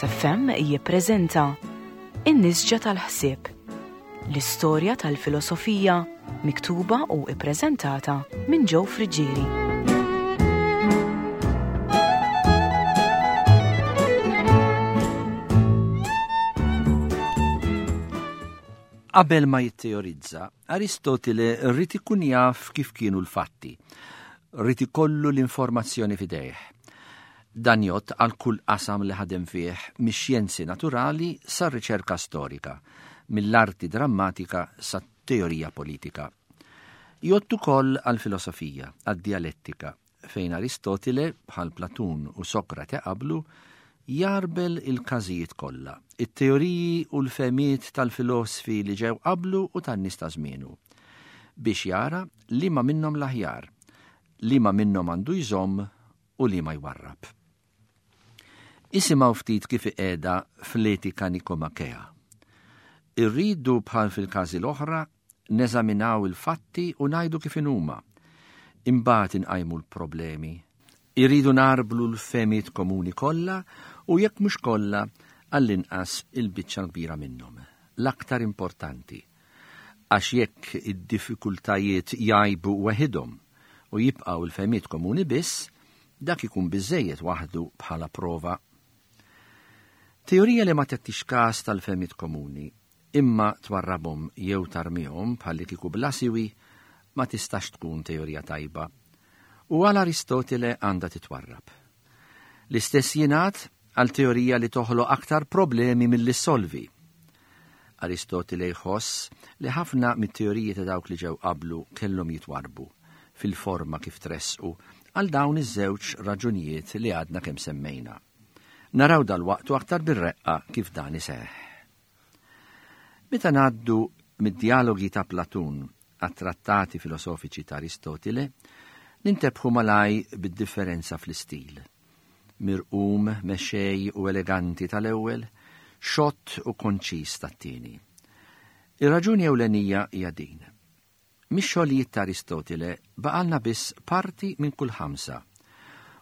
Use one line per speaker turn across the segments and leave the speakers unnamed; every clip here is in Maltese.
Logos FM jippreżenta In-Nisġa tal-Ħsieb, l-istorja tal-filosofija miktuba u ippreżentata minn Joe Friggieri.
Qabel ma jitteorizza, Aristotile rrid ikun jaf kif kienu l-fatti. Rrid ikollu l-informazzjoni f'idejh. Dan jgħodd għal kull qasam li ħadem fih mix-xjenzi naturali sar-riċerka storika, mill-arti drammatika sat-teorija politika. Jgħodd ukoll għall-filosofija, għad-djalettika, fejn Aristotile, bħal Platun u Sokrate qablu, jgħarbel il-każijiet kollha, it-teoriji u l-fehmiet tal-filosfi li ġew qablu u tan-nies ta' żmienu, biex jara liema minnhom l-aħjar, liema minnhom għandu jżomm u liema jwarrab. Isimgħu ftit kif iqiegħda fl-Etika Nikomakea. Irridu bħal fil-każi l-oħra neżaminaw il-fatti u ngħidu kif inhuma. Imbagħad inqajmu l-problemi. Irridu nagħrblu l-fehmiet komuni kollha u jekk mhux kollha, għall-inqas il-biċċa l-kbira minnhom, l-aktar importanti. Għax jekk id-diffikultajiet jgħibu weħidhom u jibqgħu l-fehmiet komuni biss, dak ikun biżżejjed waħdu bħala prova. Teorija li ma tagħtix każ tal-fehmiet komuni Imma twarrabhom jew tarmihom bħallikieku bla siwi ma tistax tkun teorija tajba. U għal Aristotile għandha titwarrab. L-istess jingħad għal teorija li toħloq aktar problemi milli ssolvi. Aristotile jħoss li ħafna mit-teoriji ta' dawk li ġew qablu kellhom jitwarrbu, fil-forma kif tressqu, għal dawn iż-żewġ raġunijiet li għadna kemm semmejna. Naraw dalwaqt u aktar bir-reqqa kif dan iseħħ. Meta ngħaddu mid-djalogi ta' Platun għat-trattati filosofiċi ta' Aristotile, nintebħu malaj bid-differenza fl-istil. Mirqum, mexxej u eleganti tal-ewwel, xott u konċiż tat-tieni. Ir-raġuni ewlenija hija din. Mix-xogħlijiet ta' Aristotile baqgħalna biss parti minn kull ħamsa,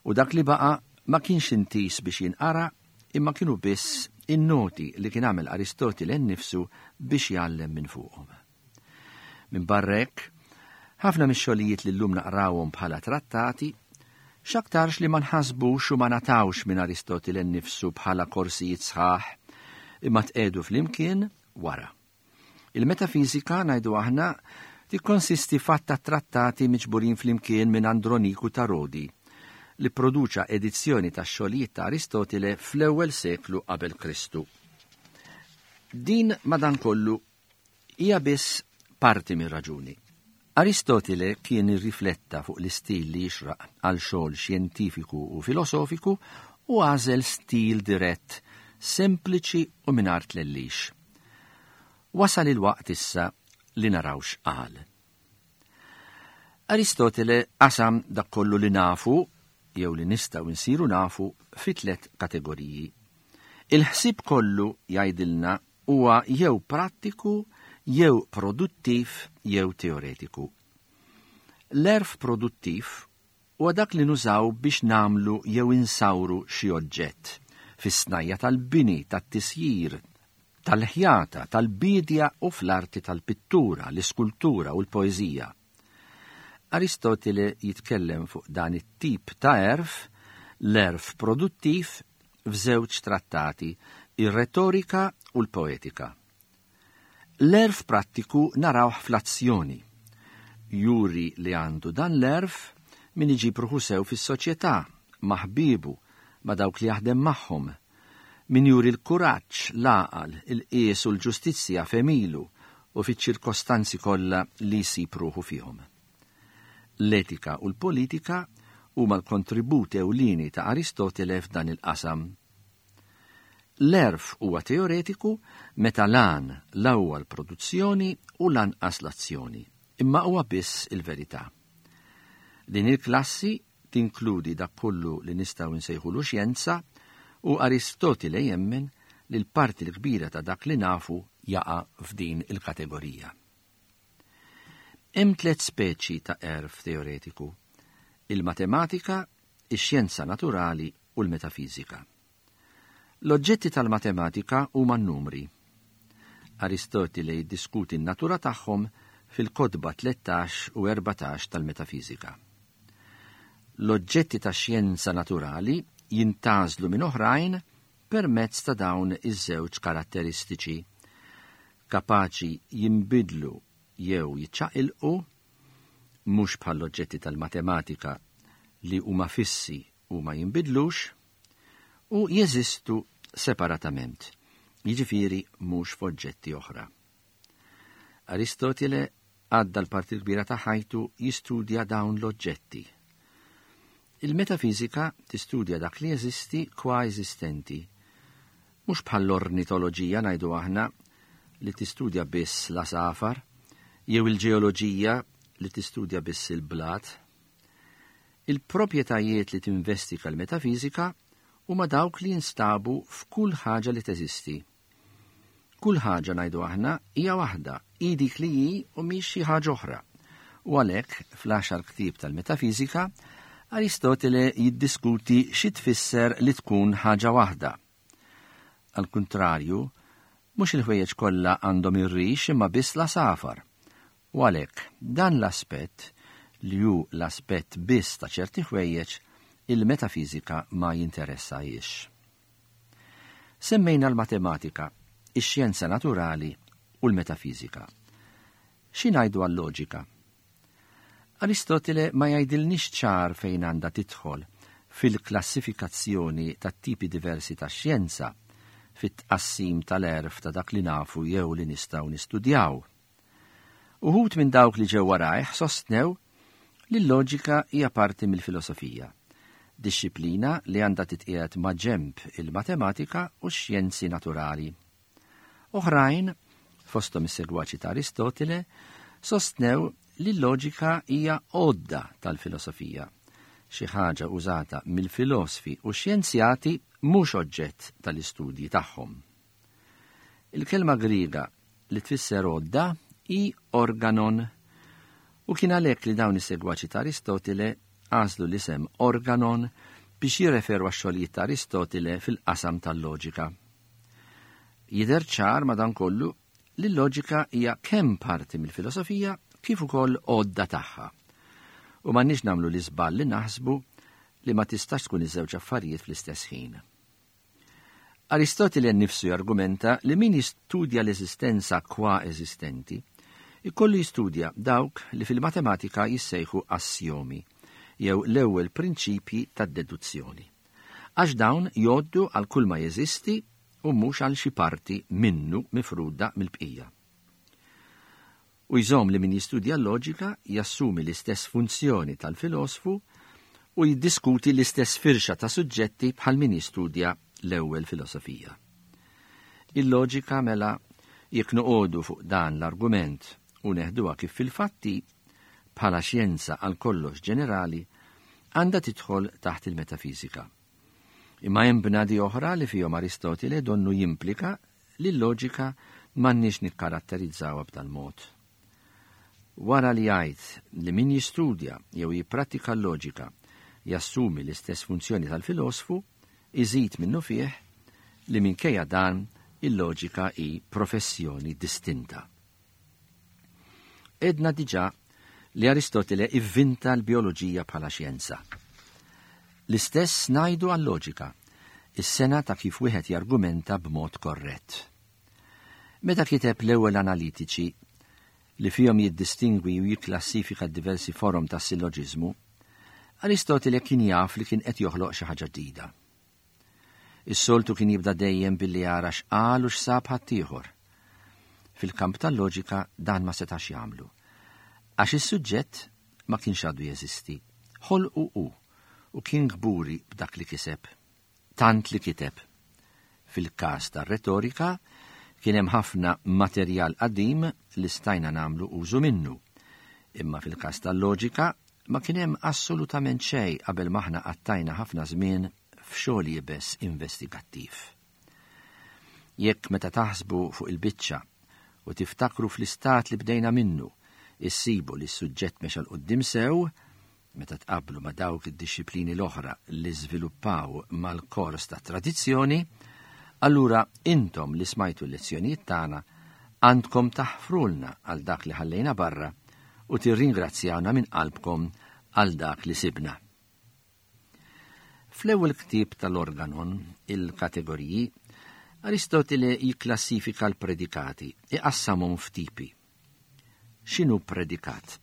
u dak li baqa' ma kienx intiż biex jinqara imma kienu biss in-noti li kien għamel Aristotile nnifsu biex jgħallem minn fuqhom. Minbarra hekk, ħafna mix-xogħlijiet li llum naqrawhom bħala trattati x'aktarx li ma nħasbux u ma ngħatawx minn Aristotile nnifsu bħala korsijiet sħaħ imma tqiegħdu flimkien wara. Il-metafiżika, ngħidu aħna, tikkonsisti f'għadd ta' trattati miġburin flimkien minn Androniku ta' Rodi, li pproduċa edizzjoni tax-xogħlijiet ta' Aristotile fl-ewwel seklu qabel Kristu. Din, madankollu, hija biss parti mir-raġuni. Aristotile kien irrifletta fuq l-istil li jixraq għal xogħol xjentifiku u filosofiku u għażel stil dirett, sempliċi u mingħajr tlellix. Wasal il-waqt issa li naraw x'qal. Aristotile qasam dak kollu li nafu jew li nistgħu nsiru nafu fi tliet kategoriji. Il-ħsieb kollu jgħidilna huwa jew prattiku jew produttiv jew teoretiku. L-għerf produttiv huwa dak li nużaw biex nagħmlu jew insawru xi oġġett, fis-snajja' tal-bini, tat-tisjir, tal-ħjata, tal-biedja u fl-arti tal-pittura, l-iskultura u l-poeżija. Aristotile jitkellem fuq dan it-tip ta' għerf, l-għerf produttiv, f'żewġ trattati, ir-Retorika u l-Poetika. L-għerf prattiku narawh fl-azzjoni. Juri li għandu dan l-għerf min iġib ruħu sew fis-soċjetà, ma' ħbiebu, ma' dawk li jaħdem magħhom, min juri l-kuraġġ, l-għaqal, il-qies u l-ġustizzja f'għemilu u fiċ-ċirkostanzi kollha li jsib ruħu fihom. L-etika u l-politika huma l-kontribut ewlieni ta' Aristotele f'dan il-qasam. L-għerf huwa teoretiku meta l-għan la huwa l-produzzjoni u lanqas l-azzjoni, imma huwa biss il-verità. Din il-klassi tinkludi dak kollu li nistgħu nsejħulu xjenza u Aristotile jemmen li l-parti l-kbira ta' dak li nafu jaqa' f'din il-kategorija. Hemm tlett speċi ta' għerf teoretiku, il-matematika, ix-xjenza naturali u l-metafiżika. L-oġġetti tal-matematika huma n-numri. Aristotile jiddiskuti n-natura tagħhom fil-kotba 13 u 14 tal-Metafiżika. L-oġġetti tax-xjenza naturali jintgħażlu minn oħrajn permezz ta' dawn iż-żewġ karatteristiċi, kapaċi jinbidlu jew jiċċaqilqu, mhux bħall-oġġetti tal-matematika li huma fissi u ma jinbidlux, u jeżistu separatament, jiġifieri mhux f'oġġetti oħra. Aristotile għadda l-parti l-kbira ta' ħajtu jistudja dawn l-oġġetti. Il-metafiżika tistudja dak li jeżisti kwa eżistenti. Mhux bħall-ornitoloġija ngħidu aħna li tistudja biss l-għasafar, jew il-ġeoloġija li tistudja biss il-blat. Il-proprjetajiet li tinvestiga l-metafiżika huma dawk li jinstabu f'kull ħaġa li teżisti. Kull ħaġa ngħidu aħna hija waħda, hi dik li hi u mhix xi ħaġa oħra. U għalhekk fl-għaxar ktieb tal-metafiżika Aristotele jiddiskuti xi tfisser li tkun ħaġa waħda. Għall-kuntrarju, mhux il-ħwejjeġ kollha għandhom ir-rix imma biss l-għasafar. U għalhekk dan l-aspett, li hu l-aspett biss ta' ċerti ħwejjeġ, il-metafiżika ma jinteressahiex. Semmejna l-matematika, ix-xjenza naturali u l-metafiżika. Xi ngħidu għal-loġika? Aristotile ma jgħidilniex ċar fejn għandha tidħol fil-klassifikazzjoni tat-tipi diversi ta' xjenza, fit-tqassim tal-għerf ta' dak li nafu jew li nistgħu nistudjaw. Uħud minn dawk li ġew warajh sostnew li l-loġika hija parti mill-filosofija, dixxiplina li għandha titqiegħed maġenb il-matematika u x-xjenzi naturali. Oħrajn, fosthom is-segwaċi ta' Aristotile, sostnew li l-loġika hija għodda tal-filosofija, xi ħaġa użata mill-filosfi u x-xjenzjati mhux oġġett tal-istudji tagħhom. Il-kelma Griega li tfisser għodda hi organon u kien għalhekk li dawn is-segwaċi ta' Aristotile għażlu l-isem organon biex jirreferu għax-xogħlijiet ta' Aristotile fil-qasam tal-loġika. Jidher ċar madankollu li l-loġika hija kemm parti mill-filosofija kif ukoll għodda tagħha. U m'għandniex nagħmlu l-iżball li naħsbu li ma tistax tkun iż-żewġ affarijiet fl-istess ħin. Aristotile nnifsu jargumenta li min jistudja l-eżistenza qua eżistenti jkollu jistudja dawk li fil-matematika jissejħu assjomi, jew l-ewwel prinċipji tad-deduzzjoni. Għax dawn jgħoddu għal kulma jeżisti u mhux għal xi parti minnu mifruda mill-bqija. U jżomm li min jistudja l-loġika jassumi l-istess funzjoni tal-filosfu u jiddiskuti l-istess firxa ta' suġġetti bħal min jistudja l-ewwel filosofija. Il-loġika mela jekk noqogħdu fuq dan l-argument u neħduha kif fil-fatti bħala xjenza għal kollox ġenerali għandha tidħol taħt il-metafiżika. Imma hemm bnadi oħra li fihom Aristotile donnu jimplika li l-loġika m'għandniex nikkaratterizzawha b'dal-mod. Wara li jgħid li min jistudja jew jipprattika l-loġika jassumi l-istess funzjoni tal-filosfu, iżid minnufih li minkejja dan il-loġika hi professjoni distinta. Għedna diġà li Aristotile ivvinta l-bijoloġija bħala xjenza. L-istess ngħidu għal-loġika, is-sengħa ta' kif wieħed jargumenta b'mod korrett. Meta kiteb l-ewwel analitiċi, li fihom jiddistingwi u jikklassifika d-diversi forom ta' silloġiżmu, Aristotile kien jaf li kien qed joħloq xi ħaġa ġdida. Is-soltu kien jibda dejjem billi jara x'qal u x'sab ħaddieħor. Fil-kamp tal-loġika dan ma setax jagħmlu. Għax is-suġġett ma kienx għadu jeżisti. Ħolqu hu u kien kburi b'dak li kiseb. Tant li kiteb. Fil-każ tar-retorika kien hemm ħafna materjal qadim li stajna nagħmlu użu minnu. Imma fil-każ tal-loġika ma kien hemm assolutament xejn qabel m'aħna qattajna ħafna żmien f'xogħol iebes investigattiv. Jekk meta taħsbu fuq il-biċċa u tiftakru fl-istat li bdejna minnu, issibu li s-suġġett mexa 'l quddiem sew, meta tqabblu ma' dawk id-dixxiplini l-oħra li żviluppaw mal-kors tat-tradizzjoni, Allura intom li smajtu l-lezzjonijiet tagħna għandkom taħfrulna għal dak li ħallejna barra u tirringrazzjawna minn qalbkom għal dak li sibna. Fl-ewwel ktieb tal-Organon, il-Kategoriji, Aristotile jikklassifika l-predikati, iqassamhom f'tipi. X'inhu predikat?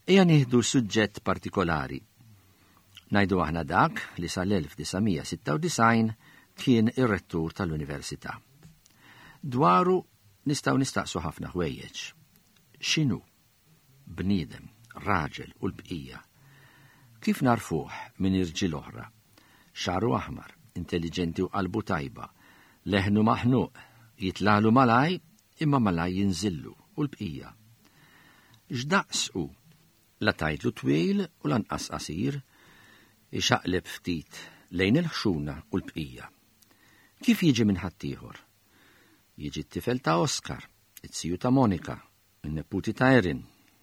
Ejja nieħdu suġġett partikolari. Ngħidu aħna dak li sal-1996 kien ir-rettur tal-Università. Dwaru nistgħu nistaqsu ħafna ħwejjeġ. X'inhu? Bniedem, raġel u l-bqija. Kif narfuh minn irġiel oħra? Xagħru aħmar, intelliġenti u qalbu tajba, leħnu maħnuq, jitlalu malaj imma malaj jinżillu u l-bqija. X'daqs hu? La tgħidlu twil u lanqas qasir, ixaqleb ftit lejn il-ħxuna u l-bqija. Kif jiġi minn ħaddieħor? Jiġi t-tifel ta' Oscar, it-siju ta' Monika, in-neputi ta' Erin,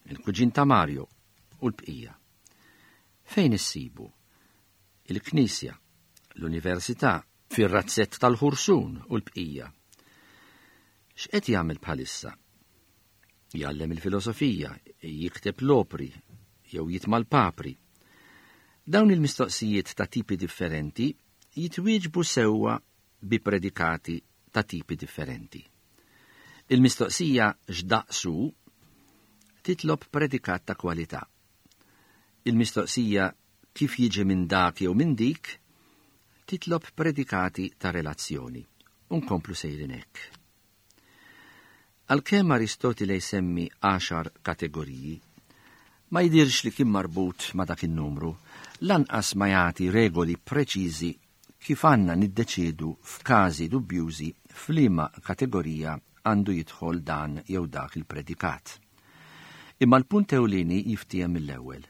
il-kuġin ta' Mario u l-bqija. Fejn issibu? Il-knisja, l-università, fir-razzett tal-ħursun u l-bqija. X'qed jagħmel bħalissa? Jgħallem il-filosofija, jikteb l-opri, jew jitma' l-papri. Dawn il-mistoqsijiet ta' tipi differenti jitwieġbu sewwa bi predikati ta' tipi differenti. Il-mistoqsija x'daqs hu titlob predikat ta' kwalità. Il-mistoqsija kif jiġi minn dak jew minn dik titlob predikati ta' relazzjoni. U nkomplu sejrin hekk. Għalkemm Aristotile jsemmi għaxar kategoriji, ma jidhirx li kien marbut ma' dak in-numru, lanqas ma jagħti regoli preċiżi kif għandna niddeċiedu f'każi dubjużi f'liema kategorija għandu jidħol dan jew dak il-predikat. Imma l-punt ewlieni jiftiehem mill-ewwel.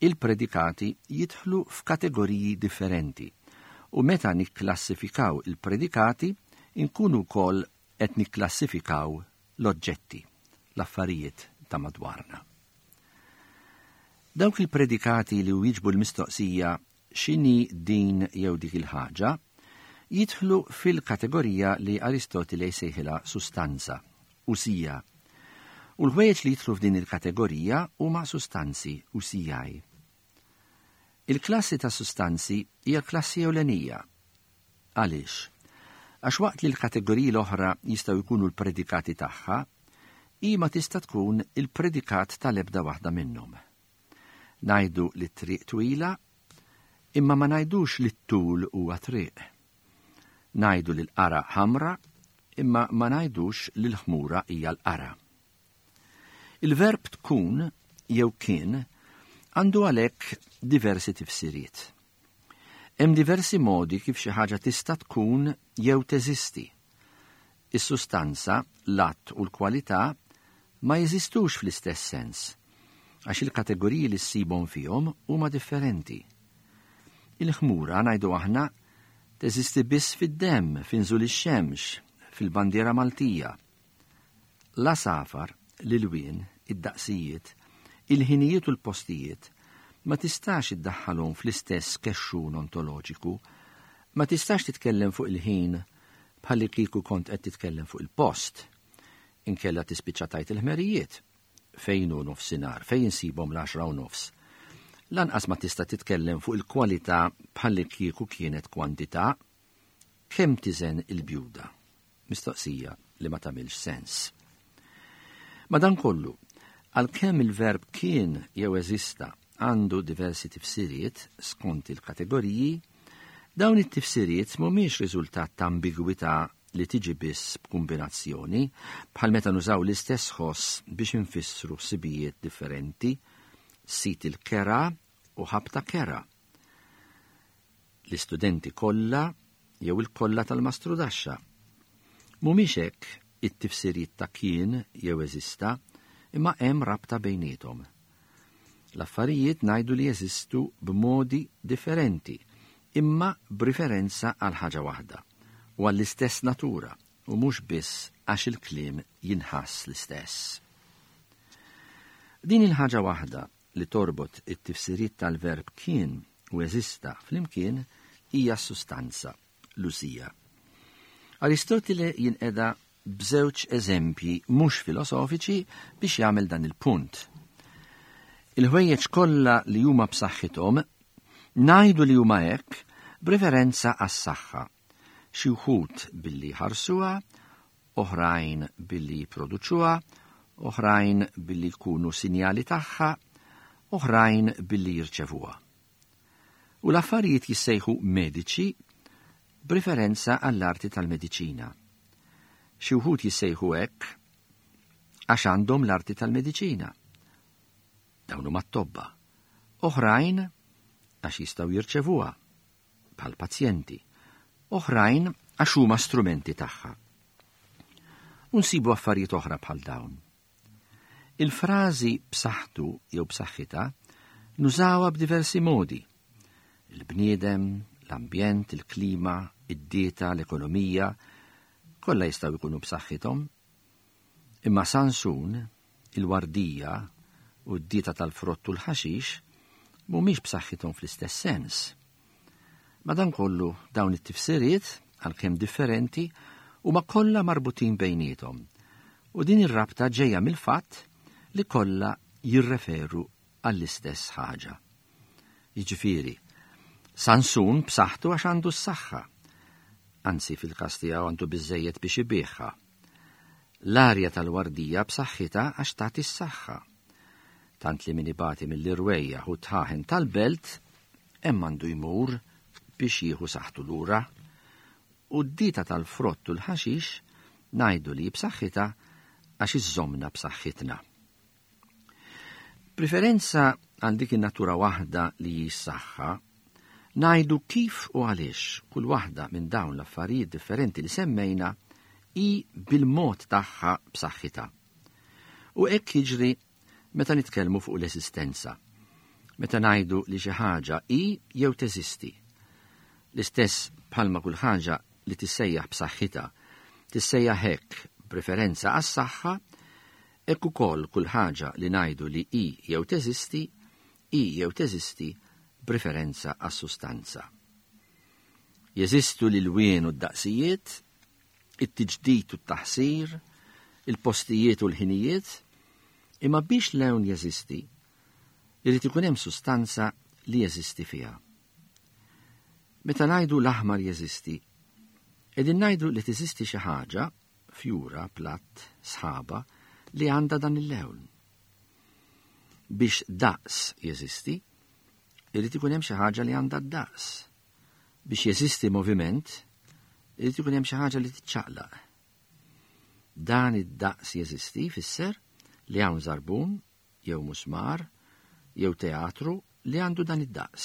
Il-predikati jidħlu f'kategoriji differenti u meta nikklassifikaw il-predikati nkunu wkoll qed nikklassifikaw l-oġġetti, l-affarijiet ta' madwarna. Dawk il-predikati li wieġbu l-mistoqsija x'inhi din jew dik il-ħaġa jidħlu fil-kategorija li Aristotile jsejħilha sustanza, usija. U l-ħwejjeġ li jidħlu f'din il-kategorija huma sustanzi, usijaj. Il-klassi ta' sustanzi hija klassi ewlenija. Għaliex? Għax waqt li l-kategoriji l-oħra jistgħu jkunu l-predikati tagħha, hi ma tista' tkun il-predikat tal-ebda waħda minnhom. Ngħidu li t-triq twila, imma ma ngħidux li t-tul huwa triq. Ngħidu li l-qara ħamra, imma ma ngħidux li l-ħmura hija l-qara. Il-verb tkun jew kien għandu għalhekk diversi tifsiriet. Hemm diversi modi kif xi ħaġa tista' tkun jew teżisti. Is-sustanza, l-att u l-kwalità ma jeżistux fl-istess sens, għax il-kategoriji li ssibhom fihom huma differenti. Il-ħmura, ngħidu aħna, teżisti biss fid-demm, f'inżul ix-xemx, fil-bandiera Maltija. L-għasafar, l-ilwien, id-daqsijiet, il-ħinijiet u l-postijiet ma tistax iddaħħalhom fl-istess kexxun ontoloġiku, ma tistax titkellem fuq il-ħin bħallikieku kont qed titkellem fuq il-post. Inkella tispiċċa tgħid il-ħmerijiet. Fejn hu nofsinhar? Fejn insibhom l-għaxra u nofs? Lanqas ma tista' titkellem fuq il-kwalità bħallikieku kienet kwantità. Kemm tiżen il-bjuda? Mistoqsija li ma tagħmilx sens. Madankollu, għalkemm il-verb kien jew eżista għandu diversi tifsiriet skont il-kategoriji, dawn it-tifsiriet mhumiex riżultat ta' ambigwità li tiġi biss b'kumbinazzjoni, bħal meta nużaw l-istess ħoss biex infissru ħsibijiet differenti, sit il-kera u ħabta kera. L-istudenti kollha jew il-kollha tal-mastrudaxxa. Mhumiex hekk it-tifsiriet ta' kien jew eżista, imma hemm rabta bejniethom. L-affarijiet ngħidu li jeżistu b'modi differenti, imma b'riferenza għal ħaġa waħda u għall-istess natura u mhux biss għax il-kliem jinħass l-istess. Din il-ħaġa waħda li torbot it-tifsiriet tal-verb kien u eżista flimkien hija s-sustanza, l-usija. Aristotile jinqeda b'żewġ eżempji mhux filosofiċi biex jagħmel dan il-punt. Il-ħwejjeġ kollha li huma b'saħħithom ngħidu li huma hekk b'referenza għas-saħħa. Xi wħud billi jħarsuha, oħrajn billi jipproduċuha, oħrajn billi jkunu sinjali tagħha, oħrajn billi jirċevuha. U l-affarijiet jissejħu mediċi b'riferenza għall-arti tal-mediċina. Xi wħud jissejħu hekk għax għandhom l-arti tal-mediċina. Dawn huma t-tobba. Oħrajn għax jistgħu jirċevuha bħal pazjenti. Oħrajn għax huma strumenti tagħha. U nsibu affarijiet oħra bħal dawn. Il-frażi b'saħħtu jew b'saħħitha nużawha b'diversi modi. Il-bniedem, l-ambjent, il-klima, id-dieta, l-ekonomija, kollha jistgħu jkunu b'saħħithom. Imma Sansun, il-wardija u d-dieta tal-frott u l-ħaxix mhumiex b'saħħithom fl-istess sens. Madankollu, dawn it-tifsiriet, għalkemm differenti, huma kollha marbutin bejniethom, u din ir-rabta ġejja mill-fatt li kollha jirreferu għall-istess ħaġa. Jiġifieri, Sansun b'saħħtu għax għandu s-saħħa. Anzi, fil-każ tiegħu għandu biżżejjed biex ibigħha. L-arja tal-wardija b'saħħitha għax tagħti s-saħħa. Tant li min ibati mill-irwejjaħ u t-tħaħen tal-belt Hemm għandu jmur biex jieħu saħħtu lura. U d-dieta tal-frott u l-ħaxix ngħidu li hi b'saħħitha għax iżżommna b'saħħitna. B'riferenza għal dik in-natura waħda li hi s-saħħa, ngħidu kif u għaliex kull waħda minn dawn l-affarijiet differenti li semmejna hi bil-mod tagħha b'saħħitha. U hekk jiġri Meta nitkellmu fuq l-eżistenza. Meta ngħidu li xi ħaġa hi jew teżisti. L-istess bħalma kull ħaġa li tissejjaħ b'saħħitha tissejjaħ hekk b'referenza għas-saħħa, hekk ukoll kull ħaġa li ngħidu li hi jew teżisti, hi jew teżisti b'referenza għas-sustanza. Jeżistu l-ilwien u d-daqsijiet, it-tiġdid u t-taħsir, il-postijiet u l-ħinijiet, imma biex lewn jeżisti, irid ikun hemm sustanza li jeżisti fiha. Meta ngħidu l-aħmar jeżisti, qegħdin ngħidu li teżisti xi ħaġa, fjura, platt, sħaba, li għandha dan il-lewn. Biex daqs jeżisti, irid ikun hemm xi ħaġa li għandha d-daqs. Biex jeżisti moviment, irid ikun hemm xi ħaġa li tiċċaqlaq. Dan id-daqs jeżisti jfisser li hawn żarbun jew musmar jew teatru li għandu dan id-daqs.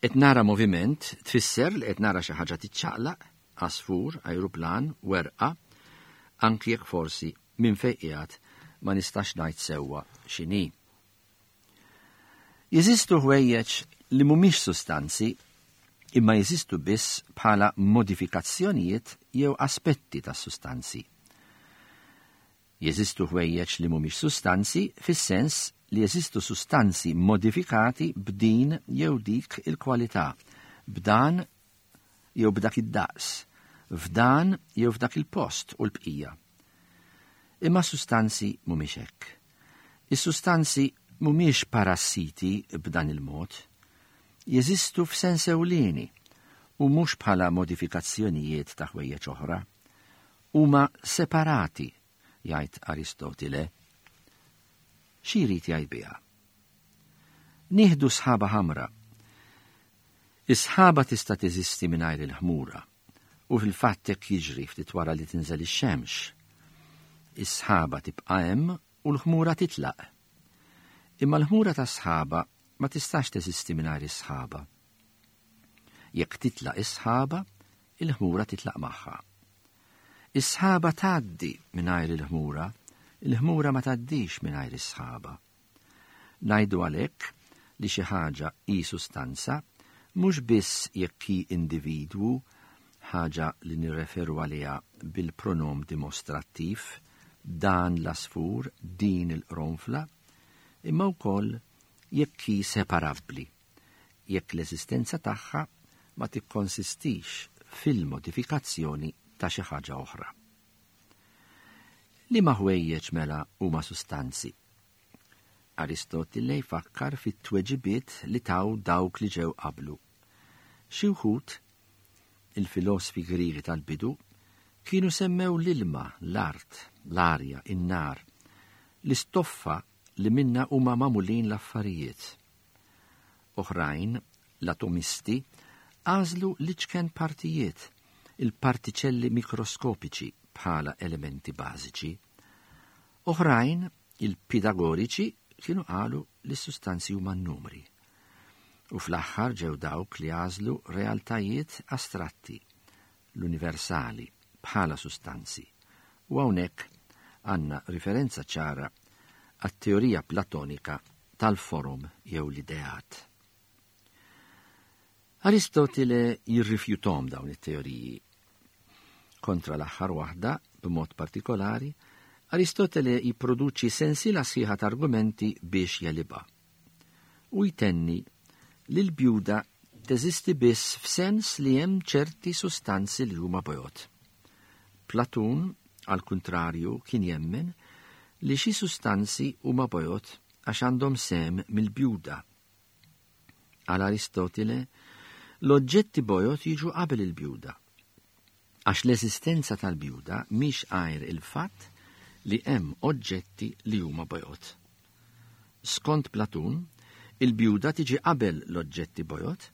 Qed nara moviment tfisser li qed nara xi ħaġa tiċċaqlaq, għasfur, ajruplan, werqa, anki jekk forsi minn fejn qiegħed ma nistax ngħid sewwa x'inhi. Jeżistu ħwejjeġ li mhumiex sustanzi imma jeżistu biss bħala modifikazzjonijiet jew aspetti tas-sustanzi. Jeżistu ħwejjeġ li mhumiex sustanzi fis-sens li jeżistu sustanzi modifikati b'din jew dik il-kwalità, b'dan jew b'dak id-daqs, f'dan jew f'dak il-post u l-bqija. Imma s-sustanzi mhumiex hekk. Is-sustanzi mhumiex parassiti b'dan il-mod. Jeżistu f'sens ewlieni u mhux bħala modifikazzjonijiet ta' ħwejjeġ oħra. Huma separati, jgħid Aristotile. Xi jrid jgħid biha? Nieħdu sħaba ħamra. Is-sħaba tista' teżisti mingħajr il-ħmura, u fil-fatt hekk jiġri ftit wara li tinżel ix-xemx. Is-sħaba tibqa' hemm u l-ħmura titlaq. Imma l-ħmura tas-sħaba ma tistax teżisti mingħajr is-sħaba. Jekk titlaq is-sħaba, il-ħmura titlaq magħha. Is-sħaba tgħaddi mingħajr il-ħmura, il-ħmura ma tgħaddix mingħajr is-sħaba. Ngħidu għalhekk li xi ħaġa hi sustanza mhux biss jekk hi individwu, ħaġa li nirreferu għaliha bil-pronom dimostrattiv, dan l-għasfur, din il-qronfla, imma wkoll jekk hi separabbli, jekk l-eżistenza tagħha ma tikkonsistix fil-modifikazzjoni ta' xi ħaġa oħra. Liema ħwejjeġ mela huma sustanzi? Aristotile jfakkar fit-tweġibiet li taw dawk li ġew qablu. Xi wħud, il-filosfi Griegi tal-bidu, kienu semmew l-ilma, l-art, l-arja, in-nar, l-istoffa li minnha huma magħmulin l-affarijiet. Oħrajn, l-atomisti, għażlu l-iċken partijiet, il-partiċelli mikroskopiċi bħala elementi bażiċi. Oħrajn, il-Pitagoriċi, kienu qalu li s-sustanzi huma n-numri. U fl-aħħar ġew dawk li għażlu realtajiet astratti, l-universali, bħala sustanzi. U hawnhekk għandna riferenza ċara għat-teorija Platonika tal-forom jew l-ideat. Aristotile jirrifjuthom dawn it-teoriji. Kontra l-aħħar waħda, b'mod partikolari, Aristotele jipproduċi sensiela sħiħa ta' argumenti biex jegħlibha. U jtenni li l-bjuda teżisti biss f'sens li hemm ċerti sustanzi li huma bojod. Platun, għall-kuntrarju, kien jemmen li xi sustanzi huma bojod għax għandhom sehem mill-bjuda. Għal Aristotile, l-oġġetti bojod jiġu qabel il-bjuda, għax l-eżistenza tal-bjuda mhix għajr il-fatt li hemm oġġetti li huma bojod. Skont Platun, il-bjuda tiġi qabel l-oġġetti bojod,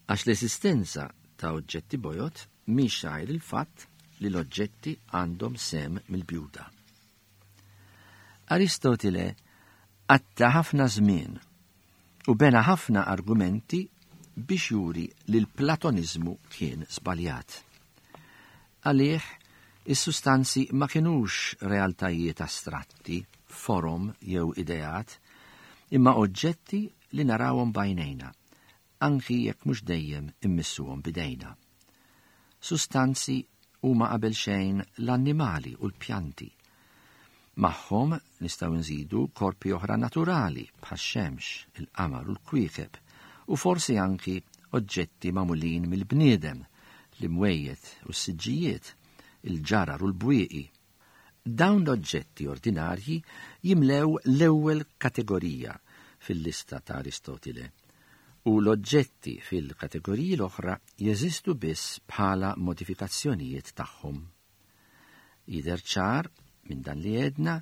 għax l-eżistenza ta' oġġetti bojod mhix għajr il-fatt li l-oġġetti għandhom sehem mill-bjuda. Aristotile qatta' ħafna żmien u bena ħafna argumenti biex juri li l-Platoniżmu kien żbaljat. Għalih, is-sustanzi ma kinux realtajiet astratti, forom jew ideat, imma oġġetti li narawhom b'għajnejna, anki jekk mhux dejjem immissuhom b'idejna. Sustanzi huma qabel xejn l-annimali u l-pjanti. Magħhom nistgħu nżidu korpi oħra naturali bħax-xemx, il-qamar u l-kwiekeb, u forsi anki oġġetti magħmulin mill-bniedem, l-imwejjed u s-siġġijiet, il-ġarar u l-bwieqi. Dawn l-oġġetti ordinarji jimlew l-ewwel kategorija fil-lista ta' Aristotile, u l-oġġetti fil-kategoriji l-oħra jeżistu biss bħala modifikazzjonijiet tagħhom. Jidher ċar minn dan li għedna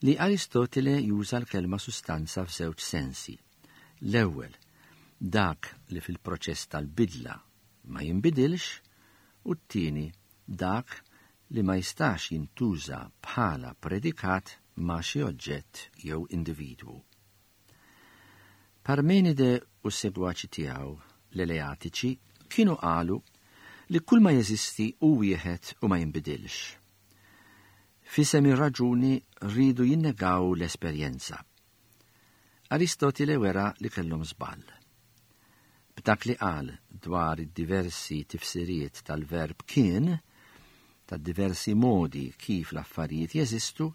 li Aristotile juża l-kelma sustanza f'żewġ sensi. L-ewwel, dak li fil-proċess tal-bidla ma jinbidilx, u t-tieni, dak li ma jistax jintuża bħala predikat ma' xi oġġett jew individwu. Parmenide u s-segwaċi tiegħu, l-Eleatiċi, kienu qalu li kull ma jeżisti hu wieħed u ma jinbidilx. F'isem ir-raġuni riedu jinnegaw l-esperjenza. Aristotile wera li kellhom żball. B'dak li qal dwar id-diversi tifsiriet tal-verb kien, tad-diversi modi kif l-affarijiet jeżistu,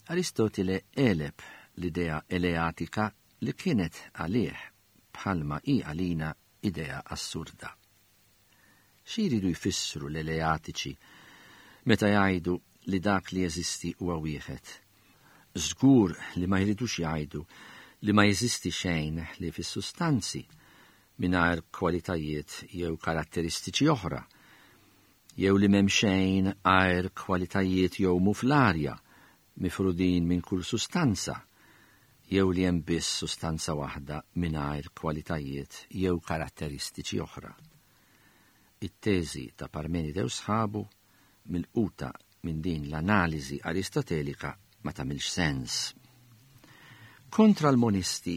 Aristotile għeleb l-idea eleatika li kienet għalih bħalma hi għalina idea assurda. Xi jridu jfissru l-Eleatiċi meta jgħidu li dak li jeżisti huwa wieħed? Żgur li ma jridux jgħidu li ma jeżisti xejn ħlief is-sustanzi, mingħajr kwalitajiet jew karatteristiċi oħra, jew li m'hemm xejn għajr kwalitajiet jgħumu fl-arja, mifrudin minn kull sustanza, jew li hemm biss sustanza waħda mingħajr kwalitajiet jew karatteristiċi oħra. It-teżi ta' Parmenide u sħabu, milquta minn din l-analiżi Aristotelika, ma tagħmilx sens. Kontra l-monisti,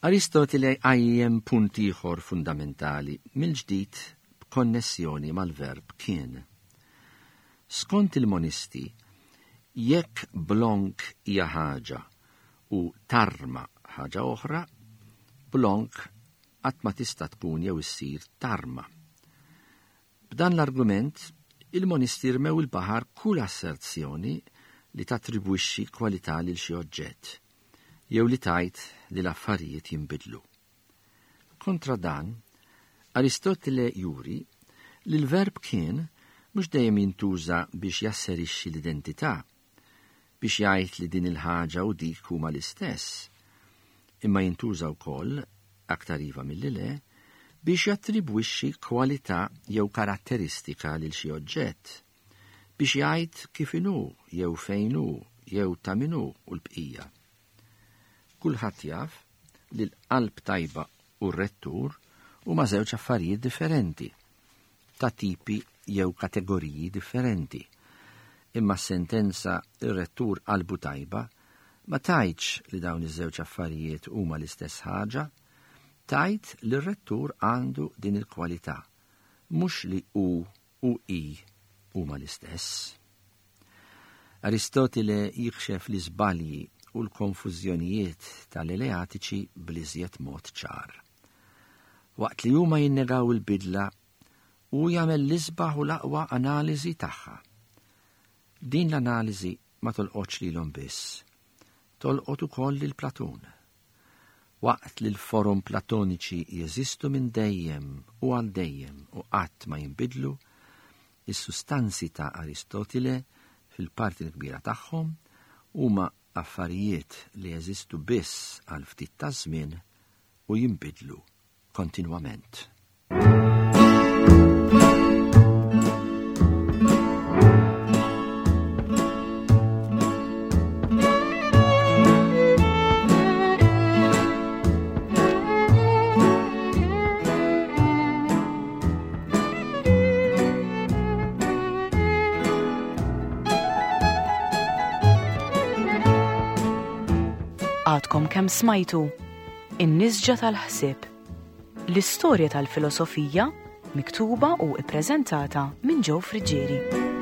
Aristotile jqajjem punt ieħor fundamentali mill-ġdid b'konnessjoni mal-verb kien. Skont il-monisti, jekk blonk hija ħaġa u tarma ħaġa oħra, blonk qatt ma tista' tkun jew issir tarma. B'dan l-argument, il-monisti rmew il-baħar kull asserzjoni li tattribwixxi kwalità lil xi oġġett, jew li tgħid li l-affarijiet jinbidlu. Kontra dan, Aristotile juri li l-verb kien mhux dejjem jintuża biex jasserixxi l-identità, biex jgħid li din il-ħaġa u dik huma l-istess, imma jintuża wkoll, aktar iva milli le, biex jattribwixxi kwalità jew karatteristika lil xi oġġett, biex jgħid kif inhu jew fejn hu jew ta' min hu u l-bqija. Kulħadd jaf li l-qalb tajba u r-rettur huma żewġ affarijiet differenti, ta' tipi jew kategoriji differenti. Imma s-sentenza ir-rettur qalbu tajba ma tgħidx li dawn iż-żewġ affarijiet huma l-istess ħaġa, tgħid li r-rettur għandu din il-kwalità, mhux li hu u hi huma l-istess. Aristotile jikxef l-iżbalji u l-konfużjonijiet tal-Eleatiċi bl-iżjed mod ċar. Waqt li huma jinnegaw il-bidla, hu jagħmel l-isbaħ u l-aqwa analiżi tagħha. Din l-analiżi ma tolqotx lilhom biss, tolqot ukoll lil Platun. Waqt li l-forom Platoniċi jeżistu minn dejjem u għal dejjem u qatt ma jinbidlu, is-sustanzi ta' Aristotile fil-parti l-kbira tagħhom huma affarijiet li jeżistu biss għal ftit taż-żmien u jinbidlu kontinwament.
Għadkom kemm smajtu In-Nisġa tal-Ħsieb, l-istorja tal-filosofija miktuba u ippreżentata minn Joe Friggieri.